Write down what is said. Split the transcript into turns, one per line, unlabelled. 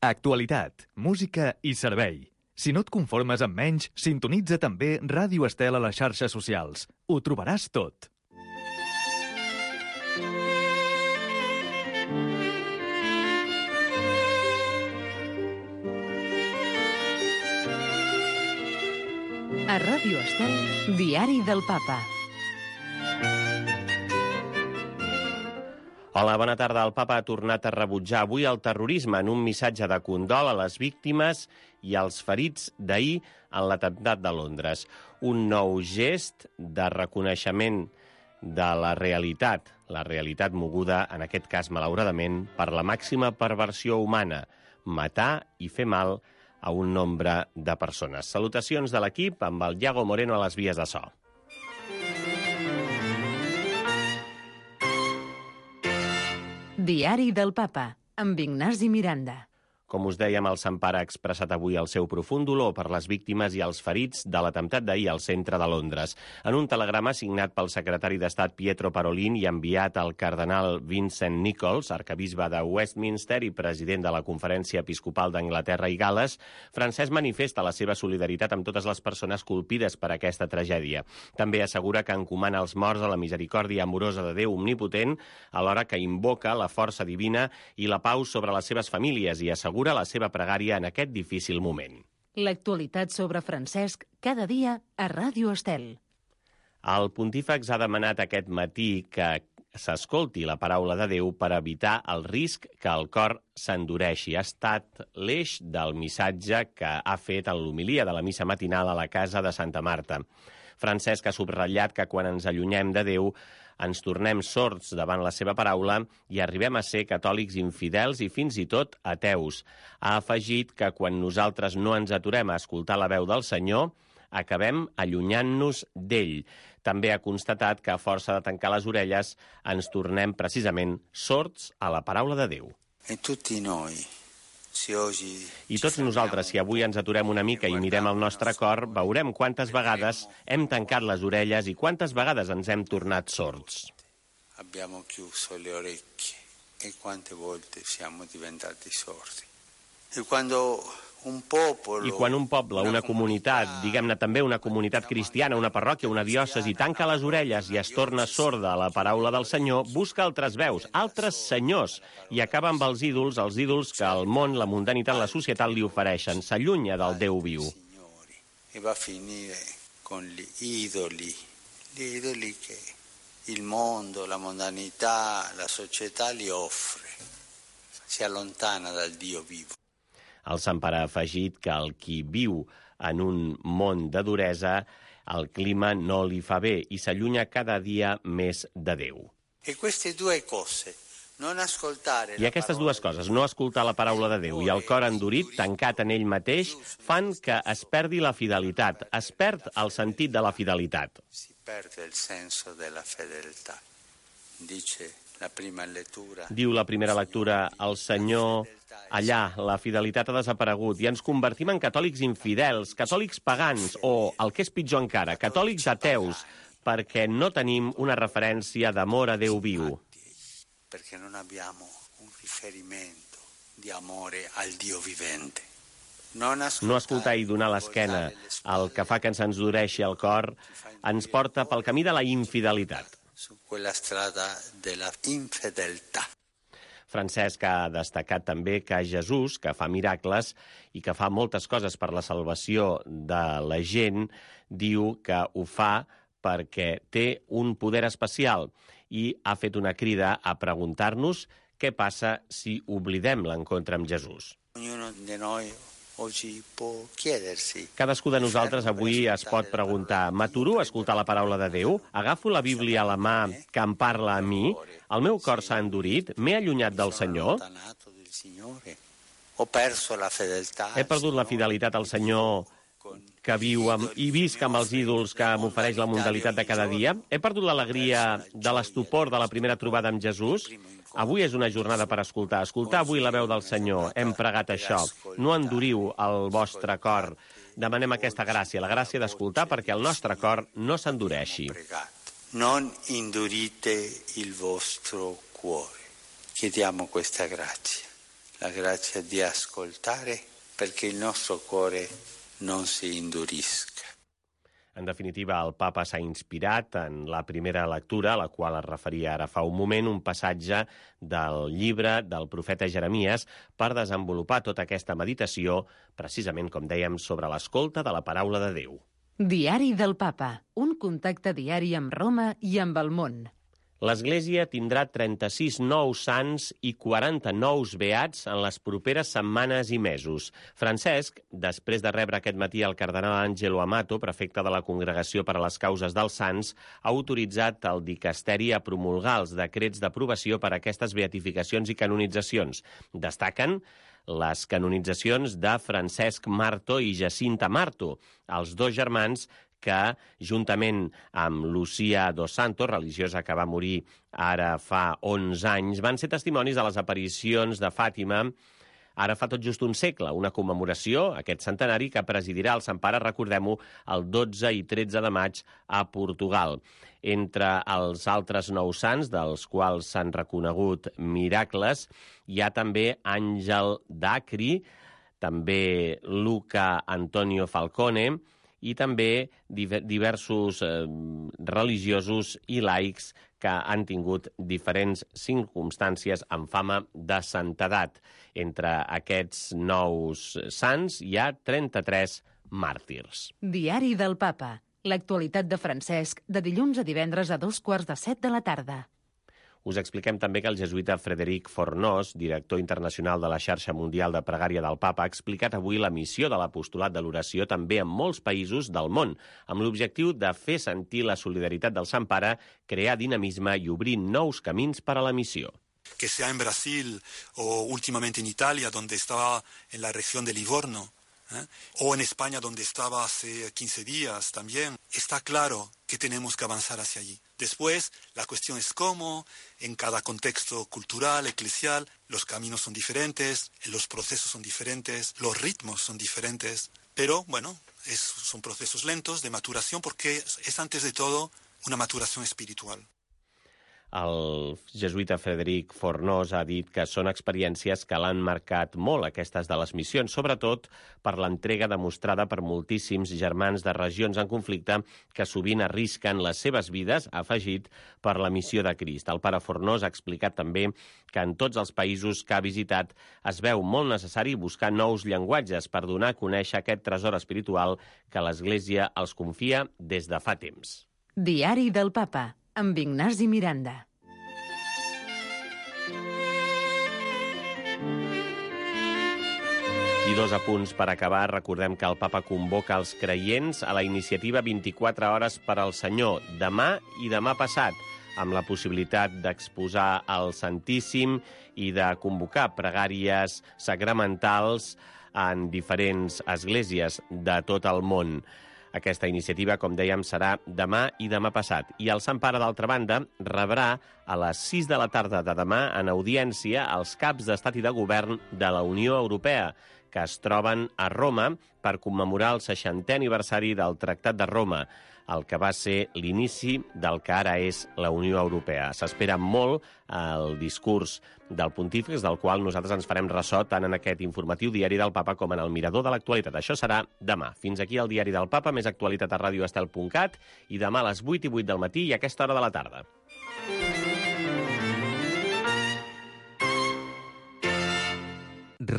Actualitat, música i servei. Si no et conformes amb menys, sintonitza també Ràdio Estel a les xarxes socials. Ho trobaràs tot.
A Ràdio Estel, Diari del Papa.
Hola, bona tarda. El Papa ha tornat a rebutjar avui el terrorisme en un missatge de condol a les víctimes i als ferits d'ahir en l'atemptat de Londres. Un nou gest de reconeixement de la realitat moguda, en aquest cas, malauradament, per la màxima perversió humana, matar i fer mal a un nombre de persones. Salutacions de l'equip amb el Iago Moreno a les vies de so.
Diari del Papa, amb Ignasi Miranda.
Com us dèiem, el Sant Pare ha expressat avui el seu profund dolor per les víctimes i els ferits de l'atemptat d'ahir al centre de Londres. En un telegrama signat pel secretari d'Estat Pietro Parolin i enviat al cardenal Vincent Nichols, arcabisbe de Westminster i president de la Conferència Episcopal d'Anglaterra i Gal·les, Francesc manifesta la seva solidaritat amb totes les persones colpides per aquesta tragèdia. També assegura que encomana els morts a la misericòrdia amorosa de Déu omnipotent, alhora que invoca la força divina i la pau sobre les seves famílies i assegura la seva pregària en aquest difícil moment.
L'actualitat sobre Francesc cada dia a Ràdio Estel.
El pontífex ha demanat aquest matí que s'escolti la paraula de Déu per evitar el risc que el cor s'endureixi. Ha estat l'eix del missatge que ha fet en l'homilia de la missa matinal a la casa de Santa Marta. Francesc ha subratllat que quan ens allunyem de Déu ens tornem sords davant la seva paraula i arribem a ser catòlics infidels i fins i tot ateus. Ha afegit que quan nosaltres no ens aturem a escoltar la veu del Senyor, acabem allunyant-nos d'ell. També ha constatat que a força de tancar les orelles ens tornem precisament sords a la paraula de Déu. I tots nosaltres, si avui ens aturem una mica i mirem el nostre cor, veurem quantes vegades hem tancat les orelles i quantes vegades ens hem tornat sords.
Abbiamo chiuso le orecchie e quante volte siamo diventati sordi. E quando
I quan un poble, una comunitat, diguem-ne també una comunitat cristiana, una parròquia, una diòcesi, tanca les orelles i es torna sorda a la paraula del Senyor, busca altres veus, altres senyors, i acaba amb els ídols que el món, la mundanitat, la societat li ofereixen. S'allunya del Déu viu.
E va a finire con gli idoli che il mondo, la mondanità, la società li offre. Si allontana dal Dio vivo.
El Sant Pare ha afegit que el qui viu en un món de duresa, el clima no li fa bé i s'allunya cada dia més de Déu. I aquestes dues coses, no escoltar la paraula de Déu i el cor endurit, tancat en ell mateix, fan que es perdi la fidelitat, es perd el sentit de la fidelitat.
Si perde el senso de la fedeltà.
Diu la primera lectura, el Senyor, allà, la fidelitat ha desaparegut i ens convertim en catòlics infidels, catòlics pagans o, el que és pitjor encara, catòlics ateus, perquè no tenim una referència d'amor a Déu viu.
Perquè non abbiamo un riferimento di amore al Dio vivente.
No escoltar i donar l'esquena al que fa que ens endureixi el cor ens porta pel camí de la infidelitat.
Su quella strada della infedeltà.
Francesc ha destacat també que Jesús, que fa miracles i que fa moltes coses per la salvació de la gent, diu que ho fa perquè té un poder especial i ha fet una crida a preguntar-nos què passa si oblidem l'encontre amb Jesús. Cadascú de nosaltres avui es pot preguntar: m'aturo a escoltar la paraula de Déu? Agafo la Bíblia a la mà que em parla a mi? El meu cor s'ha endurit? M'he allunyat del Senyor? He perdut la fidelitat al Senyor que viu i visc amb els ídols que m'ofereix la mundanitat de cada dia? He perdut l'alegria de l'estupor de la primera trobada amb Jesús? Avui és una jornada per escoltar. Escoltar avui la veu del Senyor. Hem pregat això. No enduriu el vostre cor. Demanem aquesta gràcia, la gràcia d'escoltar perquè el nostre cor no s'endureixi.
Non indurite il vostro cuore. Chiediamo questa grazia. la grazia di ascoltare perché il nostro cuore non si indurisca.
En definitiva, el papa s'ha inspirat en la primera lectura, a la qual es referia ara fa un moment, un passatge del llibre del profeta Jeremies per desenvolupar tota aquesta meditació, precisament, com dèiem, sobre l'escolta de la paraula de Déu.
Diari del Papa, un contacte diari amb Roma i amb el món.
L'Església tindrà 36 nous sants i 40 nous beats en les properes setmanes i mesos. Francesc, després de rebre aquest matí el cardenal Angelo Amato, prefecte de la Congregació per a les Causes dels Sants, ha autoritzat el dicasteri a promulgar els decrets d'aprovació per a aquestes beatificacions i canonitzacions. Destaquen les canonitzacions de Francesc Marto i Jacinta Marto, els dos germans que, juntament amb Lucía dos Santos, religiosa que va morir ara fa 11 anys, van ser testimonis de les aparicions de Fàtima ara fa tot just un segle, una commemoració, aquest centenari, que presidirà el Sant Pare, recordem-ho, el 12 i 13 de maig a Portugal. Entre els altres nous sants, dels quals s'han reconegut miracles, hi ha també Àngel d'Acri, també Luca Antonio Falcone, i també diversos religiosos i laics que han tingut diferents circumstàncies amb fama de santedat. Entre aquests nous sants hi ha 33 màrtirs.
Diari del Papa. L'actualitat de Francesc, de dilluns a divendres a 6:45 de la tarda.
Us expliquem també que el jesuïta Frederic Fornós, director internacional de la Xarxa Mundial de Pregària del Papa, ha explicat avui la missió de l'apostolat de l'oració també en molts països del món, amb l'objectiu de fer sentir la solidaritat del Sant Pare, crear dinamisme i obrir nous camins per a la missió.
Que sea en Brasil o últimamente en Italia, donde estaba en la región de Livorno, o en España, donde estaba hace 15 días también, está claro que tenemos que avanzar hacia allí. Después, la cuestión es cómo, en cada contexto cultural, eclesial, los caminos son diferentes, los procesos son diferentes, los ritmos son diferentes, pero bueno, son procesos lentos de maturación porque es antes de todo una maturación espiritual.
El jesuïta Frederic Fornós ha dit que són experiències que l'han marcat molt, aquestes de les missions, sobretot per l'entrega demostrada per moltíssims germans de regions en conflicte que sovint arrisquen les seves vides, ha afegit, per la missió de Crist. El pare Fornós ha explicat també que en tots els països que ha visitat es veu molt necessari buscar nous llenguatges per donar a conèixer aquest tresor espiritual que l'Església els confia des de fa temps.
Diari del Papa, amb Ignasi Miranda.
I dos apunts per acabar. Recordem que el Papa convoca els creients a la iniciativa 24 hores per al Senyor, demà i demà passat, amb la possibilitat d'exposar el Santíssim i de convocar pregàries sacramentals en diferents esglésies de tot el món. Aquesta iniciativa, com dèiem, serà demà i demà passat. I el Sant Pare, d'altra banda, rebrà a les 6 de la tarda de demà en audiència els caps d'Estat i de Govern de la Unió Europea, que es troben a Roma per commemorar el 60è aniversari del Tractat de Roma, el que va ser l'inici del que ara és la Unió Europea. S'espera molt el discurs del pontífex, del qual nosaltres ens farem ressò tant en aquest informatiu Diari del Papa com en el Mirador de l'Actualitat. Això serà demà. Fins aquí el Diari del Papa, més actualitat a radioestel.cat, i demà a les 8:08 del matí i a aquesta hora de la tarda.